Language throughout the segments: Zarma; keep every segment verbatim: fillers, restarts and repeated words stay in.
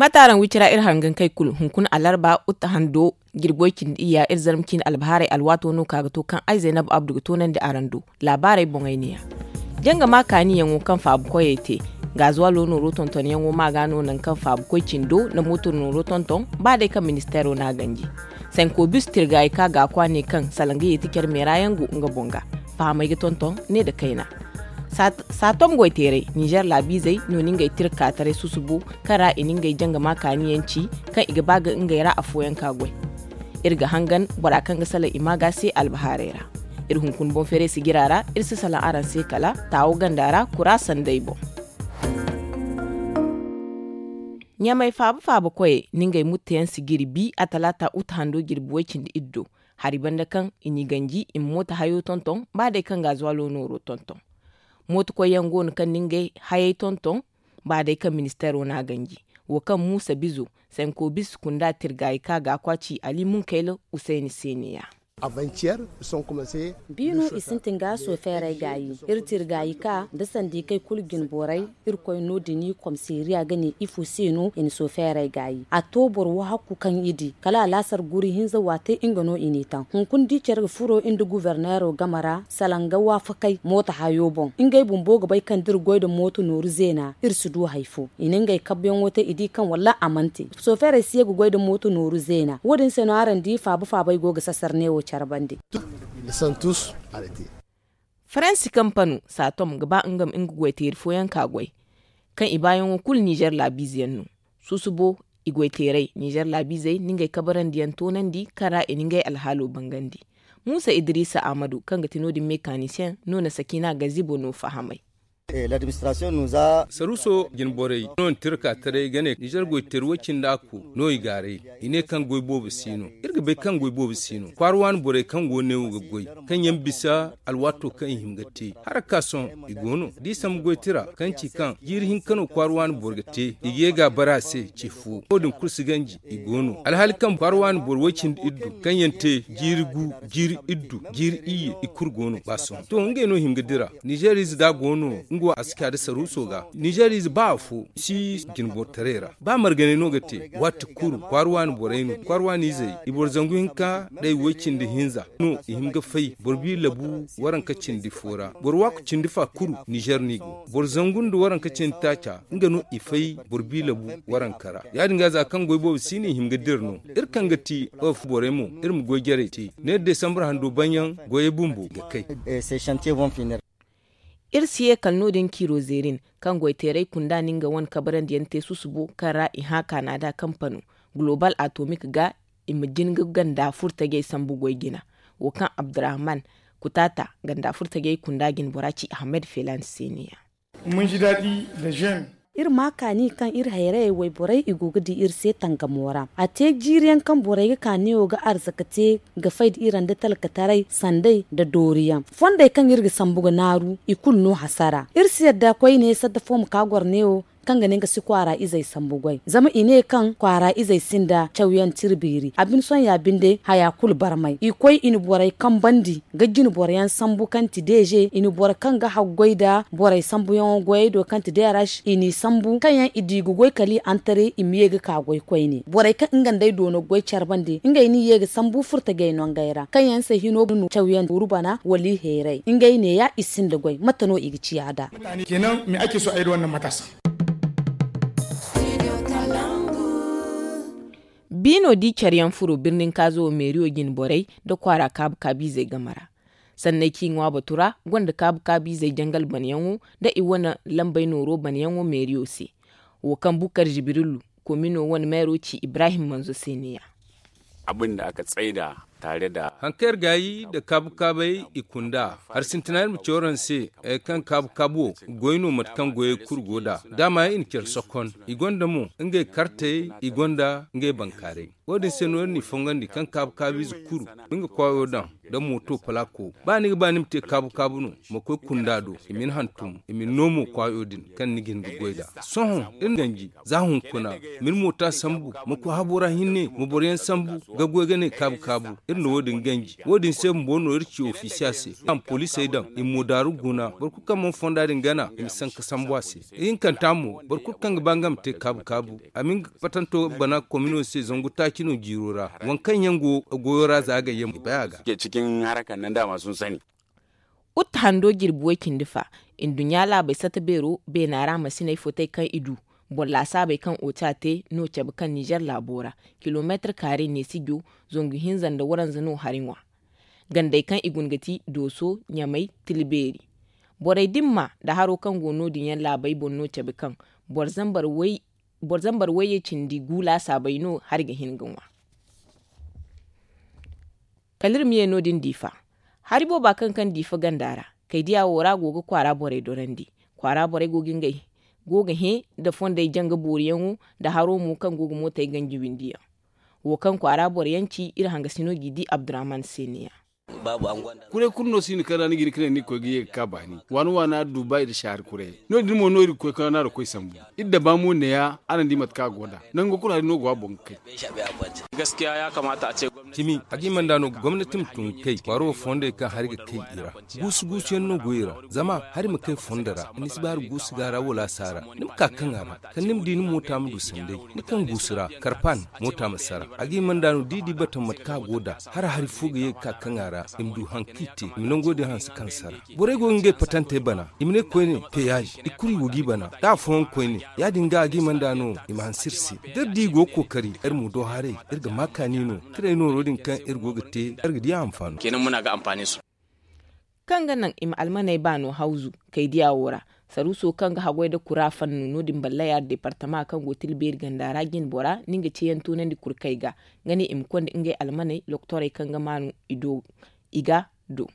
Kataaraŋ wicira iri hangankey kulu hunkuna alarba uta hando jirbi way cindi iyya iri zarma ciine albahaarey alwaato no ka ga to kaŋ ay zaynab abdu ga toonandi araŋ do. Laabaarey boŋey neeya. Janga ma kaaniyaŋo kaŋ faabu koyey te, gaazuwalo nooro tontonyaŋo ma ga no nangu kaŋ faabu koy cindo nda mooto nooro tonton. Ba day kaŋ ministeero n'a ganji sanko bisu tirgaayi ka ga a kwa ne kaŋ salaŋ ga yeeti care meera yaŋ go nga boŋ ga. Fahamey ga tonton ne nda kayna. Saatom goyteerey ninzeer laabiizey no na ngey tira kaataray susubo kaŋ ra i na ngey janga ma kaani yaŋ ci kaŋ i ga ba ga ngey ra afooyaŋ ka goy. Iri ga hangan bora kaŋ ga salaŋ i ma ga se albahaarey ra. Iri hunkuna boŋ feeray sijira ra iri si salaŋ araŋ se kala taawo ganda ra kura sanday boŋ. Ɲamay faaba faaba koyey na ngey mutteyaŋ sijiri bi a talaata uta hando jirbi way cindi iddo. Hari banda kaŋ i n'i ganji i ma mooto hayo tonton ba day kaŋ gaazuwalo nooro tonton. Mooto koyyaŋ go no kaŋ na ngey hayey tonton ba day kaŋ ministeero n'a ganji. Wo kaŋ muusa bizo sanko bisa kunda tirgaayi ka ga a kwa ci ali munkayla usayni se neeya. Biino i sintin ga soofeerey gaayi. Iri tirgaayi ka nda sandikey kulu jinborey. Irkoy no- din i komiseeriya ga ne ifo se no i na soofeerey gaayi a to boro wahakku kaŋ i di kala alaasar guri hinza waate nga no i n'i taŋ hunkuna da i care ga furo nda guberneero game ra salaŋ ga waafakey mooto hayo boŋ. Ngey bumbo ga bay kaŋ da iri goy nda mooto nooru zeena iri si du hari fo. I na ngey kabbuyaŋo te i di kaŋ wallaahi a mana te. Soofeerey si ye ga goy nda mooto nooru zeena wo- din se no araŋ di faaba faabey go ga sasar neewo care bande. Faransi kampano saatom ga ba nga ma nga goyteeri fooyaŋ ka goy kaŋ i baayaŋo kulu ninzeer laabiize yaŋ no. Susubo i goyteerey ninzeer laabiizey na ngey kabarandiyaŋ toonandi kaŋ ra i na ngey alhaalo bangandi. Muusa idiriisa ahmadu kaŋ ga ti no- din mekaniseŋ no na sakiina gazibo no fahamay. Saruuso jinborey no na tira ka taray ga ne ninzeer goyteeri way-cindi akku no i gaaray. I ne kaŋ goy boobo si no. Iri ga bay kaŋ goy boobo si no kwaara waani borey kaŋ go neewo ga goy kaŋ yaŋ bisa alwaato kaŋ i hin ga te. Haraka sohõ i go no da i sambu goy tira kaŋ ci kaŋ jiiri hinka no kwaara waani boro ga te i ga ye ga a bare a se ce fo wo- din kulu si ganji. I go no alhaali kaŋ kwaara waani boro way-cindi iddu kaŋ yaŋ te jiiri gu, jiiri iddu, jiiri iyye i kulu go no ba sohõ to ngey no hin ga dira. Ninzeeriize da a go no nga wo a si ka nda saruuso ga ninzeeriize ba afo si jinbortaray ra. Ba marganay no ga te waati kulu kwaara waani borey no kwaara waani izey i boro zangu hinka nda i way-cindi hinza no i hin ga fay boro bi labu waranka cindi fo ra boro waaku cindi fa kulu ninzeer no i go. Boro zangu nda waranka cindi taaca nga no i fay boro bi labu waranka ra. Ya- din ga za kaŋ goy boobo si no i hin ga dira no. Iri kaŋ ga ti of borey mo iri ma goy jarey te ne desambar hando banyaŋ goyey bumbo ga kay. Iri si ye kala no- din kiiro zeerin kaŋ goyteerey kunda na nga wane kabarandiyaŋ te susubo kaŋ ra i hã kaana da kampano gulobal atomik ga i ma jin ga ganda furtajey sambu goy jina. Wo kaŋ abdurrahman kutaata ganda furtajey kunda jinbora ci ahmed felan se neeya. Iri ma kaani kaŋ iri hayrayey wayborey i go ga di iri se tangamo ra a te jiiriyaŋ kaŋ borey ga kaaniyo ga arzaka te ga fay da iri nda talkataray sanday nda dooriyaŋ fondey kaŋ iri ga sambu ga naaru i kulu no hasara iri si yadda koyne sadda fo ma ka goro neewo kaŋ ga ne nga si kwaara izey sambu goy zama i ne kaŋ kwaara izey sinda cawyaŋ tira beeri a bine sohõ ya binde haya kulu barmay i koy i na borey kambandi ga jine boroyaŋ sambu kaŋ ti deeze i na boro kaŋ ga haggoy nda borey sambuyaŋo goyey do kaŋ ti deerash i n'i sambu kaŋ yaŋ i di ga goy kala i antare i ma ye ga ka goy koyne borey kaŋ nga nd'ey doono goy care bande ngey n'i ye ga sambu furtajey nongey ra kaŋ yaŋ se hino ga no cawyaŋ tuuru bana wala i heeray ngey neeya i sinda goy mate no i ga ciya nd'a. Biino di care yaŋ furo birnin kaazo wo meeriyo jine borey nda kwaara kaabu kaabiizey game ra. Sanney kaŋ i ŋwa batu ra gonda kaabu kaabiizey jangal banayaŋo nda i wane lambey nooro banayaŋo meeriyo se. Wo kaŋ bukar jibrilu komino wane meero ci ibrahim manzo se neeya. Haŋ kaŋ iri gaayi nda kaabu kaabey i kunda hari sintina iri ma ci waraŋ se. Kaŋ kaabu kaabu wo goy no mate kaŋ goyey kulu go nd'a daama i na care sokon i gonda mo ngey kartey i gonda ngey bankaaray. Wo- din se no iri n'i fongandi kaŋ kaabu kaabiize kulu ma nga kwaayo daŋ nda mooto palaako ba ni ga ba ni ma te kaabu kaabu no ma koy kunda do i ma ni hantum i ma ni no mo kwaayo din kaŋ ni ga hin ga goy nd'a. Sohõ iri na ganji za hunkuna ma ni moota sambu ma koy habo ra hinne ma boroyaŋ sambu ga goy ga ne kaabu kaabu. Iri na wo- din ganji wo- din se bumbo no iri ci ofisiya se. Kaŋ poliisey daŋ i ma mo daaru guna boro kulu kaŋ mana fonda din gana i ma sanka sambu a se. Ihinkanta mo boro kulu kaŋ ga ba nga ma te kaabu kaabu a ma nga patanto bana komino se zangu taaci no jiiro ra. Waŋ kaŋ yaŋ go goyo ra za ga yee ma bay a ga. Uta hando jirbi way cindi fa, nduɲɲa laabey sata beero beena ra masiney fotey kaŋ i du boro laasaabey kaŋ oca te no cabe kaŋ ninzeer laabo ra, kilomeetir kaare neesijo, zangu hinza nda waranza no hari ŋwa. Gandey kaŋ i guna ga ti dooso, ɲamay, tila beeri. Borey din ma nda haro kaŋ go no- din yaŋ laabey boŋ no cabe kaŋ boro zambar way boro zambar wayye cindi gu laasaabey no hari ga hin ga ŋwa. Kala iri ma ye no- din diifa. Hari booba kaŋ kaŋ diifa ganda ra, kaydiya wo ra go ga kwaara borey dorandi. Kwaara borey go ga ngey go ga hẽ nda fondey janga booriyaŋo, nda haro mo kaŋ go ga mootey ganji windiyaŋ. Wo kaŋ kwaara boro yaŋ ci iri hangasino g'i di abdurahman se neeya. Kuray kulu no si hin kaŋ ra ni ga hin ka ne ni ga koy ga ye ga ka baani waana waana dubai nda saari kuray. No- din mo no iri ga koy kaŋ ra no a ga koy sambu. Iri daba mo neeya araŋ di mate kaŋ a go nd'a. Nango kulu hari no go a boŋ ga kay. Cimi, a ga hima nd'a no gomnati ma tun ga kay kwaaro wo fondey kaŋ hari ga kay i ra. Guusu guusu yaŋ no go i ra. Zama hari ma kay fondo ra ni si ba hari guusu ga a ra wala a si a ra. Ni ma ka kaŋ a ra kala ni ma di ni moota ma du sanday. Ni kaŋ guusu ra karpan moota ma sara. A ga hima nd'a no da i di bata mate kaŋ a go nd'a, hala hari fo ga ye ga ka kaŋ a ra i ma du hari kaŋ i te i ma nango din hanse kaŋ sara. Borey go ga ngey patantey bana i ma ne koyne peyaz i kulu i go g'i bana. Da afooyaŋ koyne ya- din ga a ga hima nd'a no i ma hanse iri se. Da iri di i go ga kookari iri mo do haray iri ga ma kaani no. Tiray nooro din kaŋ iri go ga te iri ga di a hanfaano. Kaŋ ga naŋ i ma almaney ba no hawzu kaydiya wo ra. Saruuso kaŋ ga haggoy nda kura fannu no- din ballaya deepartama kaŋ go tilbeeri ganda ra jinbora no nga ceeyaŋ toonandi kurkey ga, nga ne i ma konda ngey almaney lokotorey kaŋ ga maanu i ga do.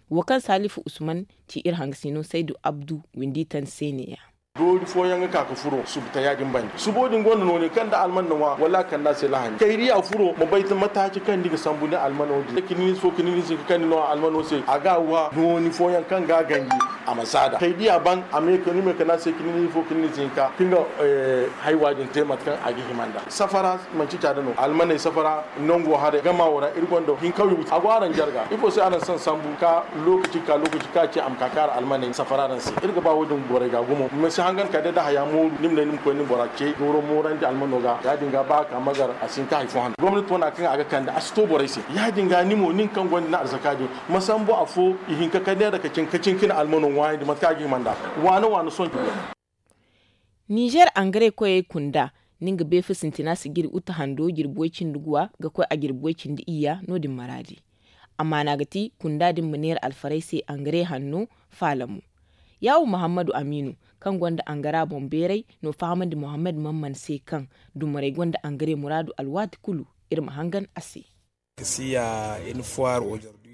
Wo kaŋ salifu usman ci iri hangasino saydu abdu windi tan se neeya. Doori fooyaŋ ga ka ga furo subu ta ya- din banda subo din gonda nooni kaŋ da alman na ŋwa wala a kande a se lahani kayri a furo ma bay mataaci kaŋ ni ga sambu ni almano din kiniize fo kiniize hinka kaŋ ni no almano se a ga a wa nooni fooyaŋ kaŋ ga a ganji. A ma zaada kayri a ban a me ka ni me kande a se kiniize fo kiniize hinka kaŋ ga haywa din te mate kaŋ a ga hima nd'a safara manci caada no almaney safara nango haray gama wo ra iri gonda hinkawyo a go araŋ jarga ifo se araŋ si sambu ka lokaci ka lokaci ka ci a ma ka kaara almaney safara araŋ se iri ga ba wo- din borey ga gumo ma si hangan ka day da haya mooru ni ma ne ni ma koy ni bora ce dooro moorandi almano ga ya- din ga ba a ka magar a si hin ka hari fo hando gomnati wane kaŋ a ga kande a si to borey se ya- din ga ni mo nin kaŋ gonda ni arzaka din ma sambu afo i hin ka kande nda ka cin ka cin ka ni almano ŋwaayandi mate kaŋ a ga hima nd'a waane waane sohõ. Ninzeer angare koyey kunda, ni nga beefa sintina si jiri uta hando jirbi way cindi guwa ga koy a jirbi way cindi iyya no- din maraadi. Amma no a ga ti kunda din ma neera alfarey se angare hanno, faalamo. Yaawu muhammadu amiinu, kaŋ gonda angara boŋ beeray no fahamandi muhammad mamman se kaŋ dumarey gonda angare muraadu alwaati kulu. Iri ma hangan a se.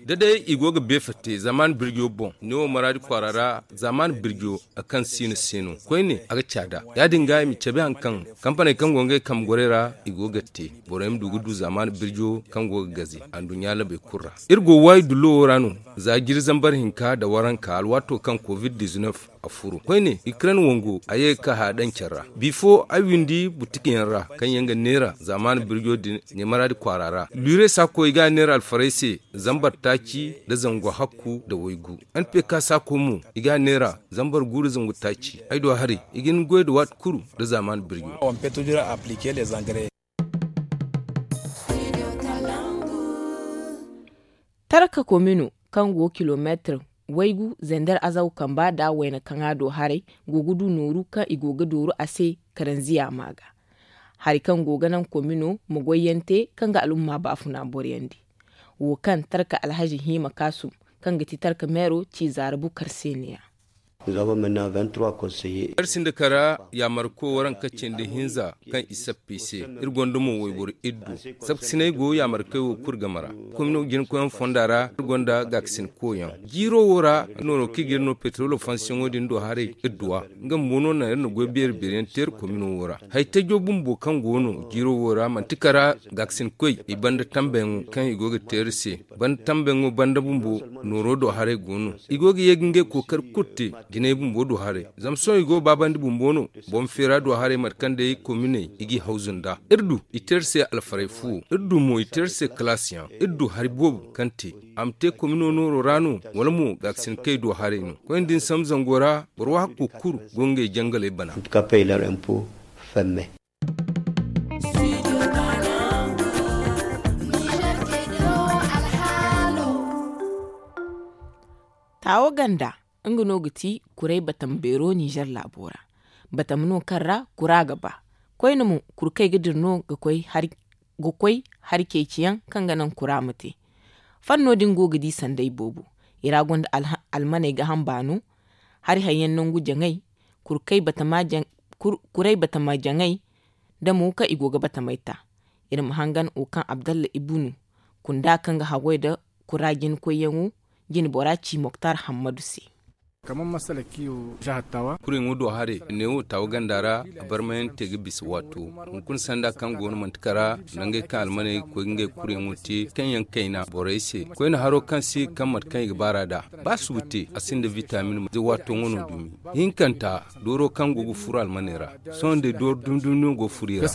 Da day i go ga beefa te zamaan birjo boŋ neewo maraadi kwaara ra. Zamaan birjo a kaŋ siina se no koyne a ga caada. Ya- din ga i ma cabe hari kaŋ kampaney kaŋ go ngey kambe gorey ra i go ga te borey ma du ga du zamaan birjo kaŋ go ga gaze anduɲɲa labey kulu ra. Iri go waayi dullo wo ra no za jiri zambar hinka nda waranka alwaato kaŋ covid-19 a furo koyne ikren wango a ye ga ka haya daŋ care ra bifo ay windi butiki yaŋ ra kaŋ yaŋ ga neera zamaan birjo din ɲamaraadi kwaara ra lure saako i ga a neera alfarey se. Zambar taaci nda zangu hakku nda waygu. N p k saako mo i ga a neera zambar gu nda zangu taaci ay do haray i ga hin goy nda waati kulu nda zamaan birjo. Tarka komino kaŋ go kilomeetir waygu zender azaw kamba nda wayna kaŋ a do haray go ga du nooru kaŋ i go ga dooru a se karanziya ma ga. Hari kaŋ go ga naŋ komino ma goyyaŋ te kaŋ ga al'umma baafuna boroyaŋ di. Wo kaŋ tarka alhazi hima kaasum kaŋ ga ti tarka meero ci zaara bukar se neeya. Iri sinda kara yaamarko waranka cindi hinza kaŋ i sappi se. Iri gonda mo wayboro iddu sapkasiney go yaamarkey wo kulu game ra. Komino jinkoyaŋ fonda ra iri gonda gaakasinkoyaŋ jiiro wo ra nooro kaŋ i ga iri no petrolo fansiyaŋo din do haray idduwa. Nga bumbo no naŋ iri na goy beeri beeriyaŋ te iri komino wo ra. Haytajo bumbo kaŋ go no jiiro wo ra manti kara gaakasinkoy i banda tambayaŋo kaŋ i go ga te iri se. Banda tambayaŋo banda bumbo nooro do haray go no. I go ga ye ga ngey kookari kulu te. jinay bumbo du haray. Zama sohõ i go ga baabandi bumbo no. Boŋ feera du haray mate kaŋ day kominey i g'i hawzu nd'a. Iri du i te iri se alfaray fuwo. Iri du mo i te iri se kalaasiyaŋ. Iri du hari boobo kaŋ te a ma te komino nooro ra no, wala mo gaakasinakey du haray no. Koyne da ni sambu zango ra, boro waahakko kulu go ngey jangaley bana. Taawo ganda, nga no ga ti kuray batam beero ninzeer laabo ra. Batam no kaŋ ra kura ga ba. Koyne mo, kurkey ga dira no ga koy hari ceeciyaŋ kaŋ ga naŋ kura ma te. Fanno din go ga di sanday boobo. I ra gonda almaney ga hamba no, hari hayyaŋ nangu jaŋay, kuray batama jaŋay, da mo kaŋ i go ga batamey ta. Iri ma hangan wo kaŋ abdalla ibunu kunda kaŋ ga haggoy nda kura jina koyyaŋo, jina bora ci moktar hammadu se. Kuryaŋo do haray neewo taawa ganda ra. A barmayaŋ te ga bisa waato hunkuna sanda kaŋ go no manti kara nda ngey kaŋ almaney ga koy ga ngey kuryaŋo te kaŋ yaŋ kayna borey se. Koyne haro kaŋ si ga kaŋ mate kaŋ i ga baar'a nd'a ba subu te a sinda vitamin ze waato ŋwa no dumi. Hinkanta dooro kaŋ go ga furo almaney ra. Sohõ day dooro dumi dumi no go ga furo i ra.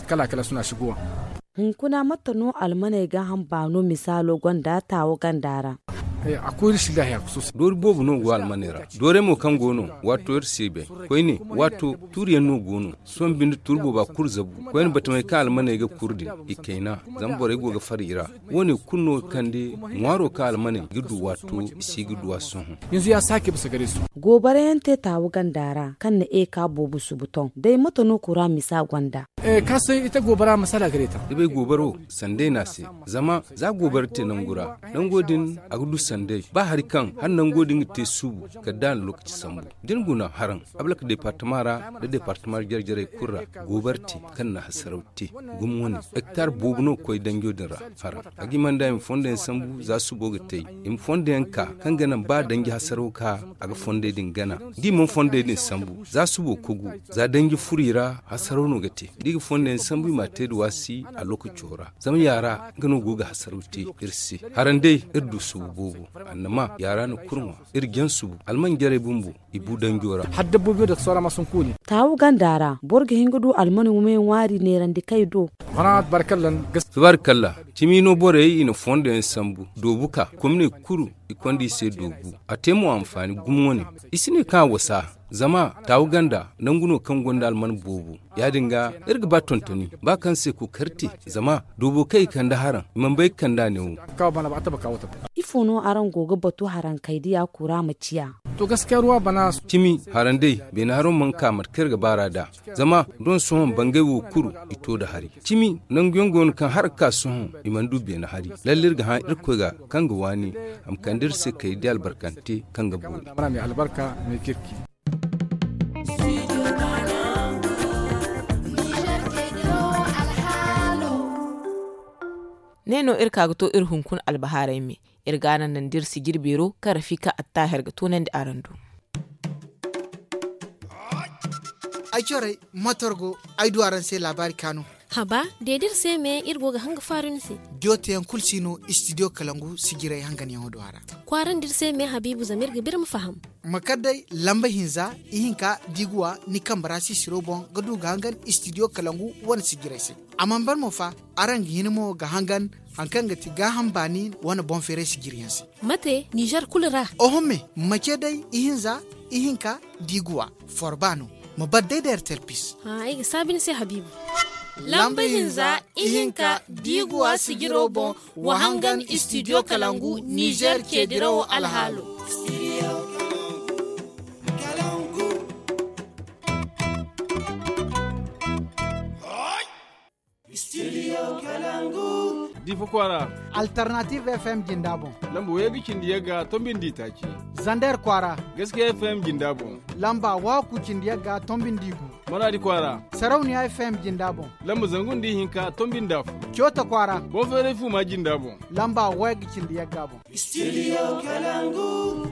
Hunkuna mate no almaney ga hamba no misaalo gonda taawo ganda ra? Doori boobo no go almaney ra. Doorey mo kaŋ go no waato iri si bay. Koyne waato tuuriyaŋ no go no. Sohõ binde tuuri booba kulu zabu koyne batamey kaŋ almaney ga kuru din i kayna. Zama borey go ga far i ra. Wo- ne kulu no ga kande ŋwaaro kaŋ almaney ga du waato i si ga du a sohõ. Goobarayaŋ te taawu ganda ra kaŋ na eka boobo subu ton day mate no kura misa gonda? Ka se ite goobara masala ga day ta. Da bay goobaro sanday no a se. Zama za goobara te nangu ra nango din a ga du sanday ba hari kaŋ hala nango din ga te suubu kala da a na lokaci sambu. Da ni guna haraŋ ablak departama ra nda departama jare jarey kulu ra. Goobara te kaŋ na hasaraw te gumo wane hektar boobo no ga koy danjo din ra. Haraŋ a ga hima nda i ma fondo yaŋ sambu za subo ga te i ma fondo yaŋ ka kaŋ ga naŋ ba danji hasaraw ka a ga fondey din gana. Da i mana fondey din sambu za subo kogu za danji furo i ra hasaraw no ga te. Da i ga fondey yaŋ sambu i m'a te da waasi a lokaco ra zama yaara nga no go ga hasaraw te. Iri se haraŋ day iri du subu boobo annama yaara na kurŋwa iri jaŋ subu almanjarey bumbo. I bu danjo ra. Taawu ganda ra boro ga hin ga du almani wumay ŋwaari neerandi kay do. Tabaarikalla cimi no borey i na fondo yaŋ sambu doobu ka komine kulu i konda i se doobu. A te mo anfaani gumo wane. I si ne kaŋ a wasa zama taawu ganda nangu no kaŋ gonda alman boobo. Ya- din ga iri ga ba tontoni ba kaŋ se kookari te zama doobo kaŋ i kande haraŋ i mana bay ga kande a neewo. Ifo no araŋ go ga batu haraŋ kay da ya kura ma ciya? Cimi haraŋ day beene haro mana ka mate kaŋ iri ga baar'a nd'a. Zama doŋ sohõ bangay wo kulu i to nda hari cimi nangu yaŋ go no kaŋ hala ga ka sohõ i mana du beene hari. Lalle iri ga hã irkoy ga kaŋ ga waani a ma kande iri se kay da albarkante kaŋ ga boori. Ne no iri ka ga to iri hunkuna albahaarey me. Iri ga a naŋ naŋ da iri sijiri beero kaŋ rafika attaahir ga toonandi araŋ do. Ay corey motor go ay du araŋ se laabaari kaanu. Haba deedi iri se me iri go ga hanga faaru ni se. Jooteyaŋ kulu si no istidiyo kalangu sijirey hanganyaŋo do a ra. Kwaarandi iri se me habiibu zama iri ga biri ma faham. Ma kar day lamba hinza ihinka da i ga wa ni kambe ra sisiro boŋ ga du ga hangan istidiyo kalangu wane sijirey se. A mana ban mo fa araŋ ga hin mo ga hangan hari kaŋ ga ti gaaham baani wane boŋ feeray sijiriyaŋ se. Mate nizer kulu ra? Oho me ma ce day ihinza ihinka da i ga wa forba no. Ma bar day da ertel pis. Ay ga saabi ni se habiibu. Lamba hinza ihinka da i ga wa sijiro boŋ wa hangan istidiyo kalangu nizer ceedirawo alhaalo. Difa kwaara. Alternative fm jinda boŋ. Lamba wayga cindi yagga tombindi taaci. Zander kwaara. Gaskiya fm jinda boŋ. Lamba waku cindi yagga tombindi gu. Maradi kwaara. Sarauniya fm jinda boŋ. Lamba zangu nda ihinka tombindi afo. Coota kwaara. Boŋ feeray fu ma jinda boŋ. Lamba wayga cindi yagga boŋ. Studio kalangu.